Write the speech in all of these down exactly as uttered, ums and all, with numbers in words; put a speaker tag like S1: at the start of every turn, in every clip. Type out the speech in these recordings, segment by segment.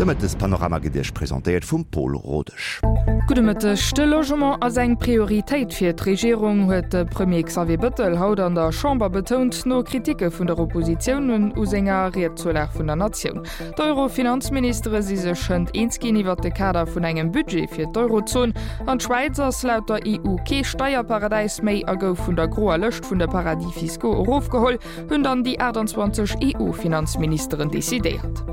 S1: De Mëttespanorama gëtt Iech presentéiert vum Paul Rodesch.
S2: Gudde Mëtteg. De Logement ass eng Prioritéit fir d'Regierung, huet de Premier Xavier Bëttel haut an der Chamber betount, no Kriticke vun der Oppositioun u senger Ried zur Lag vun der Natioun. D'Euro-Finanzministere si sech hënt eens ginn iwwer de Kader vun engem Budget fir d'Eurozon. An d'Schwäiz ass laut der E U kee Steierparadäis méi a gouf vun der groer Lëscht vun de Paradis fiscaux erofgeholl, hunn dann déi aachtanzwanzeg E U-Finanzministeren decidéiert.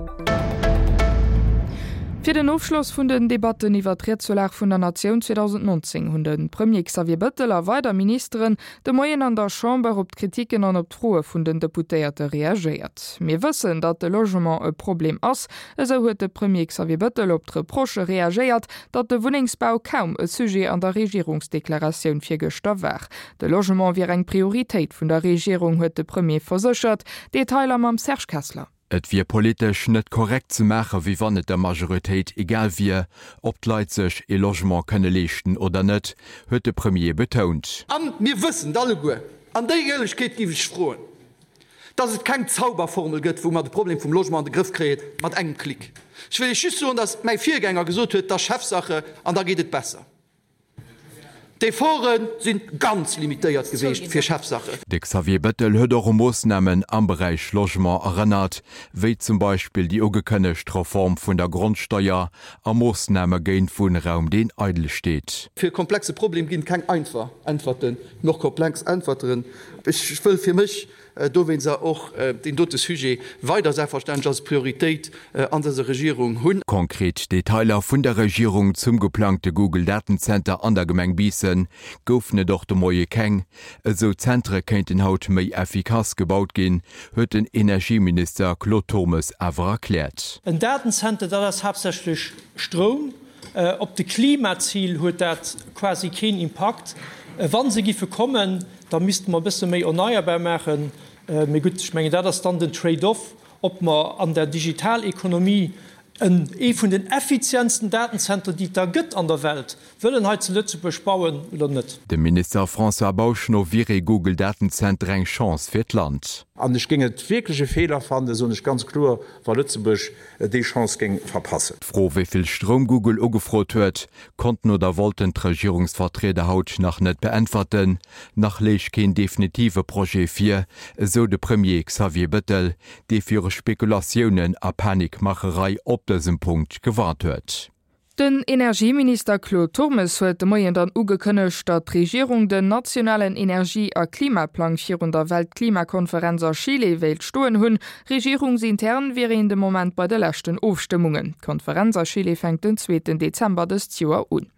S2: Fir den Ofschloss vun den Debatten iwwer d'Ried zur Lag vun der Natioun zweedausendnonzéng hunn de Premier Xavier Bëttel a weider Ministeren de Moien an der Chamber op d'Kritiken an op d'Froe vun den Deputéierte reagéiert. Mir wëssen, datt de Logement e Problem ass, esou huet de Premier Xavier Bëttel op d'Reprochë reagéiert, datt de Wunnengsbau kaum e Sujet an der Regierungsdeklaratioun virgëschter war. De Logement wier eng Prioritéit vun der Regierung, huet de Premier verséchert. Detailer mam Serge Kessler.
S3: Et wier politesch net korrekt ze maache wéi wann et der Majoritéit egal wier, ob d'Leit sech e Logement kënne leeschten oder net, huet de Premier betount.
S4: A mir wëssen alleguer, an déi Éierlechkeet géif ech froen, dass et keng Zauberformel gëtt, wou mer de Problem vum Logement an de Grëff kréie mat engem Klick. Ech wëll Iech just soen, dass mäi Virgänger gesot huet, dat ass Chefsache an da geet et besser. D'Efforte si ganz limitéiert gewiescht fir Chefsache.
S3: De Xavier Bettel huet och u Moossnamen am Beräich Logement erënnert, wéi zum Beispill déi ugekënnegt Reform vun der Grondsteier a Moossname géint Wunnraum deen eidel steet.
S4: Fir e komplexe Problem ginn et keng einfach Äntwerten, mee och komplex Äntwerteren. Ech wëll fir mech dowéinster och deen dote Sujet weider selbstverständlech als Prioritéit an dëser Regierung hunn.
S3: Konkret Detailer vun der Regierung zum geplangte Google-Datenzenter an der Gemeng Biissen goufen et och de Moie keng. Esou Zentere kéinten haut méi effikass gebaut ginn, huet den Energieminister Claude Turmes awer erkläert.
S5: En Datenzenter, dat ass haaptsächlech Stroum. Op de Klimazil huet dat quasi keen Impakt. Wa se giffe kommen, da misste mer e bësse méi erneierbar maachen. Mee gutt, ech mengen, dat ass dann den Trade-off, ob mer an der Digitalekonomie en ee vun den effizientsten Datenzenter, déi et da gëtt an der Welt, wëllen hei zu Lëtzebuerg bauen oder net.
S3: Dem Minister François Bausch no wier ee Google-Datenzenter eng Chance fir d'Land.
S6: An ech géing et wierklech e Feeler fannen, soen ech ganz kloer, wa Lëtzebuerg déi Chance géing verpassen.
S3: D'Fro, wéi vill Stroum Google ugefrot huet, konnten oder wollten d'Regierungsvertrieder haut nach net beäntwerten. Nach léich keen definitive Projet vir, esou de Premier Xavier Bettel, dee viru Spekulatiounen a Panikmacherei op dësem Punkt gewarnt huet.
S2: Den Energieminister Claude Turmes huet de Moien dann ugekënnegt, datt d'Regierung den nationalen Energie a Klimaplang virun der Weltklimakonferenz a Chile wéilt stoen hunn. Regierungsintern wier een de Moment bei de leschten Ofstëmmungen. D'Konferenz a Chile fänkt den zweeten Dezember dëst Joer un.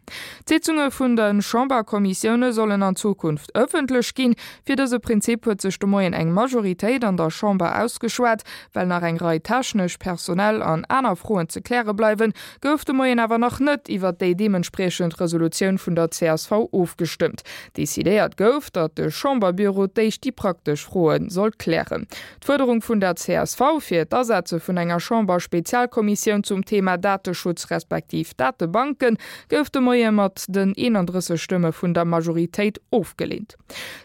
S2: D'Sitzunge vun de Chamberkommissioune sollen an Zukunft ëffentlech ginn. Fir dëse Prinzip huet sech de Moien eng Majoritéit an der Chamber ausgeschwat. Well nach eng Rei technesch, personell an aner Froen ze kläre bleiwen, gouf de Moien awer nach net iwwer déi deementspriechend Resolutioun vun der C S V ofgestëmmt. Decidéiert gouf, datt de Chamberbüro d'éischt déi praktesch Froe soll klären. D'Fuerderung vun der C S V fir d'Asetze vun enger Chamber-Spezialkommissioun zum Thema Dateschutz respektiv Datebanken gouf de Moie mat den eenandrësseg Stëmme vun der Majoritéit ofgeleent.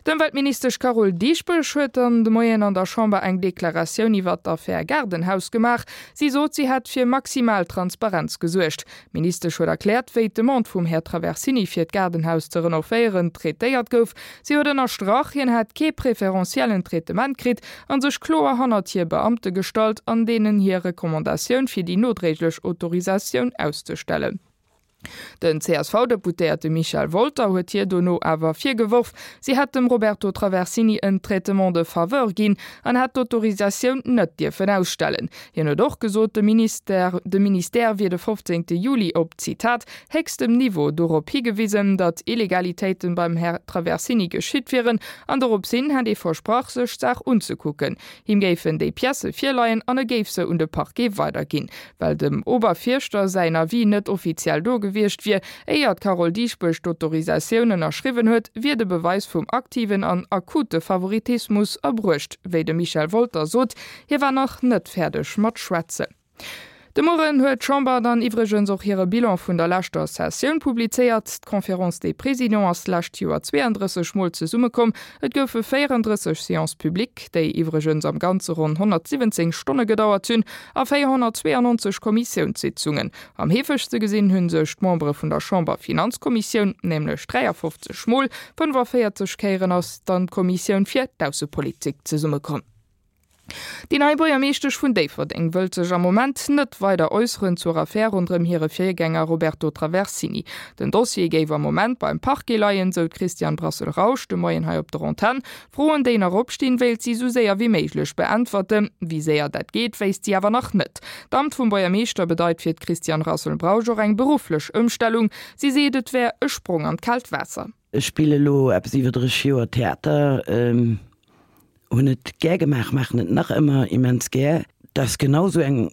S2: D'Ëmweltministesch Carole Dieschbourg huet dann de Moien an der Chamber eng Deklaratioun iwwer d'Affär Gaardenhaus gemaach. Si sot, si hätt fir maximal Transparenz gesuergt. D'Ministesch huet erkläert, wéi d'Demande vum Här Traversini fir d'Gaardenhaus ze renovéieren traitéiert gouf. Si huet ënnerstrach, hien hätt kee preferenziellen Traitement kritt an sech kloer hannert hir Beamte gestallt an deenen hir Recommandatioun fir déi nodréiglech Autorisatioun auszestellen. Den C S V-Deputéierte Michel Wolter huet hir dono awer virgeworf, si hätt dem Roberto Traversini en Traitement de faveur ginn an hätt d'Autorisatioun net dierfen ausstellen. Hien huet och gesot, de Minister de Ministère wier de fofzéngte Juli op, Zitat, héchstem Niveau dorop higewisen, datt Illegalitéiten beim Här Traversini geschitt wieren an doropshin hätt ee versprach, sech d'Saach unzekucken. Him géifen déi Piècë virleien an e géif se un de Parquet weiderginn. Well dem Oberfierschter säin Avis net offiziell do gewiescht wier, éier d'Carole Dieschbourg d'Autorisatioun ënnerschriwwen huet, wier de Beweis vum aktiven an akute Favoritismus erbruecht, wéi de Michel Wolter sot. Hie war nach net fäerdeg mat schwätzen. De Mueren huet d'Chamber dann iwwregens och hire Bilan vun der leschter Sessioun publizéiert. D'Conférence des Présidents ass d'lescht Joer zweeëndrësseg Mol zesummekomm. Et goufe véierendrësseg Séances publiques, déi iwwregens am Ganze ronn honnertsiwwenzéng Stonne gedauert hunn, a véierhonnertzweeënnonzeg Kommissiounssitzungen. Am heefegste gesinn hu sech d'Membere vun der Chamberfinanzkommissioun, nämlech dräiafofzeg Mol. Fënnefaféierzeg Kéieren ass dann d'Kommissioun fir d'Aussepolitik zesummekomm. Déi nei Buergermeeschtesch vun Déifferdeng wëllt sech am Moment net weider äusseren zur Affär ronderëm hire Virgänger Roberto Traversini. Den Dossier géif am Moment beim Parquet leien, sou d'Christiane Brassel-Rausch de Moien hei op der Antenn. Froen, déi nach opstinn, wéilt si sou séier wéi méiglech beäntwerten. Wéi séier dat geet, wéisst si awer nach net. D'Amt vum Buergermeeschter bedeit fir d'Christiane Rassel-Brausch och eng berufflech Ëmstellung. Si seet, et wär e Sprong an d'kaalt Waasser.
S7: Ech spille elo eppes iwwer dräisseg Joer Theater. Hunn et gär gemaach, maachen et nach ëmmer immens gär. Dat ass genau sou eng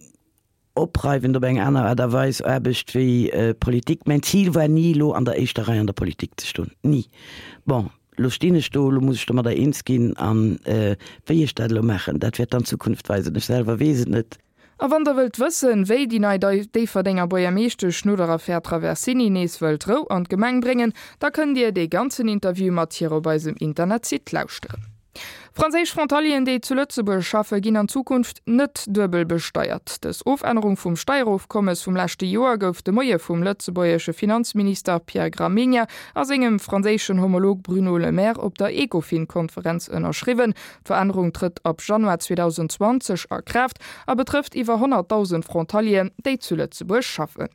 S7: opreiwend op eng aner Aart a Weis Aarbecht wéi Politik. Mäin Zil war ni elo an der éischter Rei an der Politik ze stoen, ni. Bon, elo stinn ech do, elo muss ech domadder eens ginn an wéi ech dat elo maachen, dat wäert dann d'Zukunft weisen. Ech selwer weess et net.
S2: A wann der wëllt wëssen, wéi déi nei Déifferdenger Buergermeeschtesch no der Affär Traversini nees wëllt Rou an d'Gemeng bréngen, da kënnt Dir dee ganzen Interview mat hir op eisem Internetsite lauschteren. Franséisch Frontalieren, déi zu Lëtzebuerg schaffen, ginn an Zukunft net duebel besteiert. Dës Ofännerung vum Steierofkommes vum leschte Joer gouf de Moie vum lëtzebuergesche Finanzminister Pierre Gramegna a sengem franséischen Homolog Bruno Le Maire op der Ecofin-Konferenz ënnerschriwwen. D'Verännerung trëtt ab Januar zweedausendzwanzeg a Kraaft a betrëfft iwwer honnertdausend Frontalieren, déi zu Lëtzebuerg schaffen.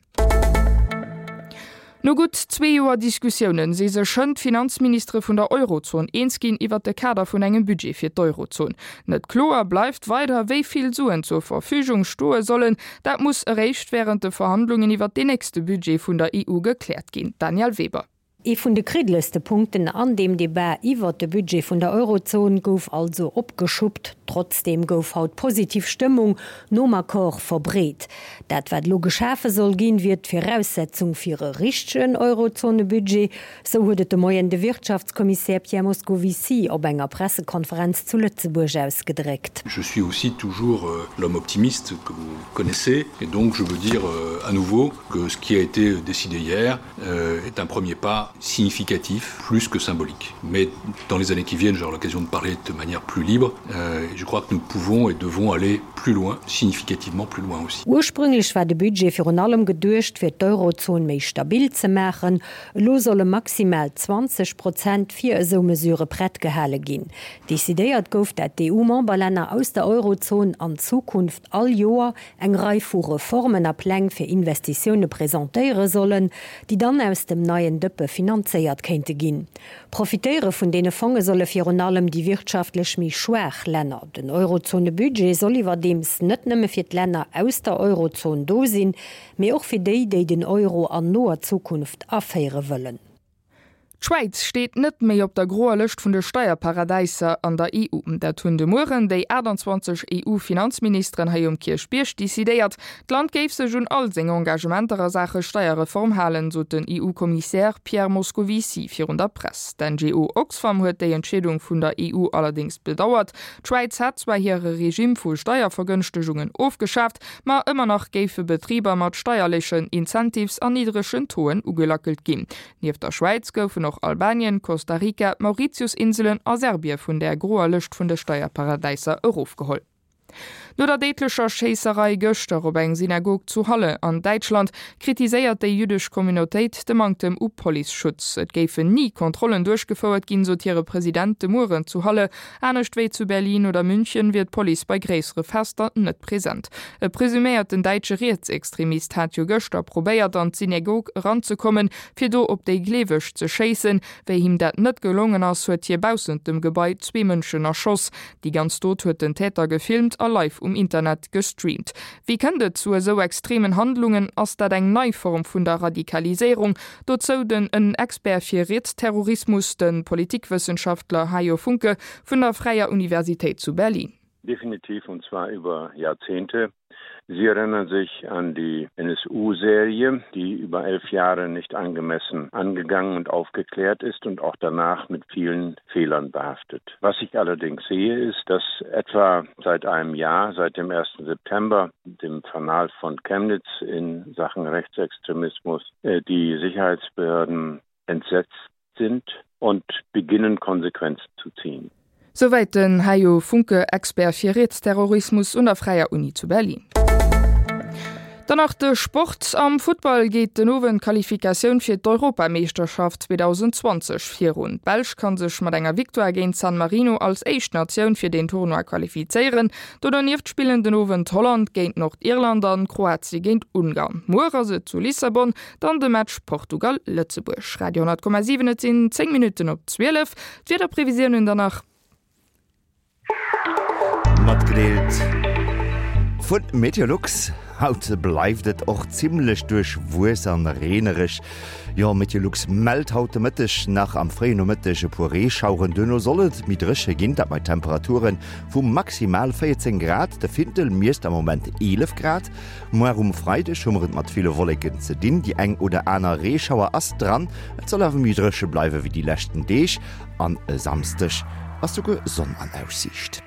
S2: No gutt zwee Joer Diskussiounen si sech hënt d'Finanzministere vun der Eurozon eens ginn iwwert de Kader vun engem Budget fir d'Eurozon. Net kloer bleift weider, wéi vill Suen zur Verfügung stoe sollen. Dat muss eréischt wärend de Verhandlungen iwwert deen nächste Budget vun der E U gekläert ginn. Danièle Weber.
S8: Ee vun de kriddelegste Punkten an deem Debat iwwert de Budget vun der Eurozon gouf also opgeschuppt. Trotzdeem gouf haut positiv Stëmmung nom Accord verbreet. Dat wat elo geschafe soll ginn, wier d'Viraussetzung fir e richtegen Eurozone-Budget, sou huet et de Moien de Wirtschaftskommissär Pierre Moscovici op enger Pressekonferenz zu Lëtzebuerg ausgedréckt.
S9: Je suis aussi toujours l'homme optimiste que vous connaissez et donc je veux dire à nouveau que ce qui a été décidé hier est un premier pas significatif plus que symbolique. Mais dans les années qui viennent, j'aurai l'occasion de parler de manière plus libre et je crois que nous pouvons et devons aller plus loin, significativement plus loin aussi.
S8: Ursprünglech war de Budget virun allem geduecht, fir d'Eurozon méi stabil ze maachen. Elo solle maximal zwanzeg Prozent fir esou Mesurë prett gehale ginn. Decidéiert gouf, dat d'EU-Memberlänner aus der Eurozon an Zukunft all Joer eng Rei vu Reformen a Pläng fir Investitioune presentéiere sollen, déi dann aus dem neien Dëppe finanzéiert kéinte ginn. Profitéiere vun deene Fonge solle virun allem déi wirtschaftlech méi schwaach Länner. Den Eurozone-Budget soll iwwerdeems net nëmme fir d'Länner aus der Eurozon do sinn, mee och fir déi, déi den Euro an noer Zukunft aféiere wëllen.
S2: D'Schwäiz steet net méi op der groer Lëscht vun de Steierparadäiser an der E U. Dat hunn de Mueren déi achtanzwanzeg E U-Finanzministeren hei um Kierchbierg decidéiert. D'Land géif sech un all seng Engagementer a Saache Steierreform halen, sot den E U-Kommissär Pierre Moscovici virun der Press. D'N G O Oxfam huet déi Entscheedung vun der E U allerdéngs bedauert. D'Schwäiz hätt zwar hire Regime vu Steiervergënschtegungen ofgeschaaft, ma ëmmer nach géife Betriber mat steierlechen Incentives an niddregen Tauxen ugelackelt ginn. Nieft der Schwäiz goufen och Albanien, Costa Rica, d'Mauritiusinselen a Serbie vun der groer Lëscht vun de Steierparadäiser erofgeholl. No der déidlecher Schéisserei gëschter op eng Synagog zu Halle an Däitschland kritiséiert déi jüddesch Communautéit de Manktem u Policeschutz. Et géifen ni Kontrollen duerchgefouert ginn, sot hire President de Mueren zu Halle. Anescht wéi zu Berlin oder München wier d'Police bei gréissere Fester net present. E presuméierten däitsche Rietsextremist hat jo gëschter probéiert an d'Synagog eranzekommen, fir do op déi Gleeweg ze schéissen. Wéi him dat net gelongen ass, huet hie baussent dem Gebai zwee Mënschen erschoss. Déi ganz Dot huet den Täter gefilmt a live um Internet gestreamt. Wéi kënnt et zu esou extremen Handlungen? Ass dat eng nei Form vun der Radikaliséierung? Dozou den en Expert fir Rietsterrorismus, de Politikwëssenschaftler Hajo Funke vun der Fräier Universitéit zu Berlin.
S10: Definitiv und zwar über Jahrzehnte. Sie erinnern sich an die NSU-Serie, die über elf Jahre nicht angemessen angegangen und aufgeklärt ist und auch danach mit vielen Fehlern behaftet. Was ich allerdings sehe, ist, dass etwa seit einem Jahr, seit dem ersten September, dem Fanal von Chemnitz in Sachen Rechtsextremismus, äh, die Sicherheitsbehörden entsetzt sind und beginnen Konsequenzen zu ziehen.
S2: Souwäit den Hajo Funke, Expert fir Rietsterrorismus un der Fräier Uni zu Berlin. Dann nach de Sport am Fußball geht den Owen Qualifikatioun fir d'Europameeschterschaft zweitausendzwanzeg virun. D'Belsch kann sech mat enger Victoire géint San Marino als éischt Natioun fir den Tournoi qualifizéieren. Do donieft spillen den Owend Holland géint Nordirland an Kroatie géint Ungarn. Muer ass et zu Lissabon dann de Match Portugal-Lëtzebuerg. Radio honnert Komma siwen Et sinn zéng Minutten op zwielef. D'Wiederprevisiounen dann nach.
S1: Matgedeelt vun Meteolux. Haut bleift et och zimmlech duerchwuess an reenereg. Jo, Meteolux mellt haut de Mëtteg nach am fréien Nomëtteg e puer Reeschaueren, duerno soll et méi dréche ginn, dat bei Temperature vu maximal véierzéng Grad. De Findel miesst am Moment eelef Grad. Muer um Freideg hu mer et mat ville Wolleken ze dinn, déi eng oder aner Reeschauer ass dran, et soll awer méi dréche bleiwe wéi déi leschten Deeg an e Samsdeg ass souguer Sonn an Aussiicht.